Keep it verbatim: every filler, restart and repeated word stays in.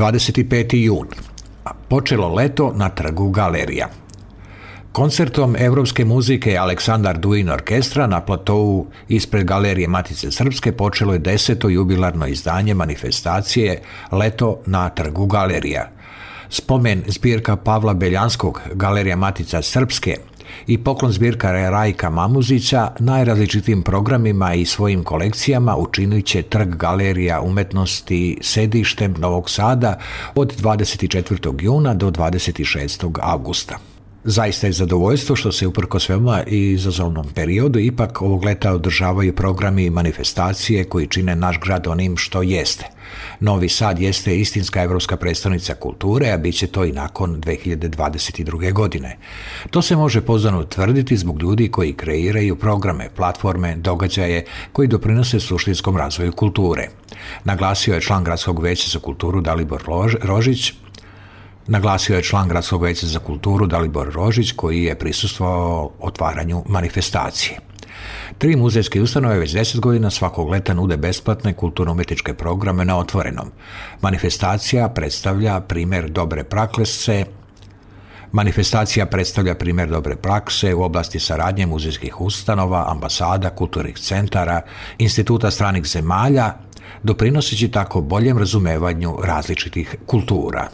dvadeset peti jun. Počelo leto na trgu Galerija. Koncertom evropske muzike Aleksandar Duin orkestra na platovu ispred Galerije Matice Srpske počelo je deseto jubilarno izdanje manifestacije Leto na trgu Galerija. Spomen zbirka Pavla Beljanskog Galerija Matica Srpske i poklon zbirka Rajka Mamuzića najrazličitijim programima i svojim kolekcijama učinit će trg Galerija umetnosti sedištem Novog Sada od dvadeset četvrtog juna do dvadeset šestog avgusta. Zaista je zadovoljstvo što se uprkos veoma izazovnom periodu ipak ovog leta održavaju programi i manifestacije koji čine naš grad onim što jeste. Novi Sad jeste istinska evropska predstavnica kulture, a bit će to i nakon dve hiljade dvadeset druge. godine. To se može pouzdano tvrditi zbog ljudi koji kreiraju programe, platforme, događaje koji doprinose suštinskom razvoju kulture. Naglasio je član Gradskog veća za kulturu Dalibor Rožić, Naglasio je član Gradskog veća za kulturu Dalibor Rožić koji je prisustvovao otvaranju manifestacije. Tri muzejske ustanove već deset godina svakog leta nude besplatne kulturno-umjetničke programe na otvorenom. Manifestacija predstavlja primjer dobre prakse Manifestacija predstavlja primjer dobre prakse u oblasti saradnje muzejskih ustanova, ambasada, kulturnih centara, instituta stranih zemalja, doprinoseći tako boljem razumevanju različitih kultura.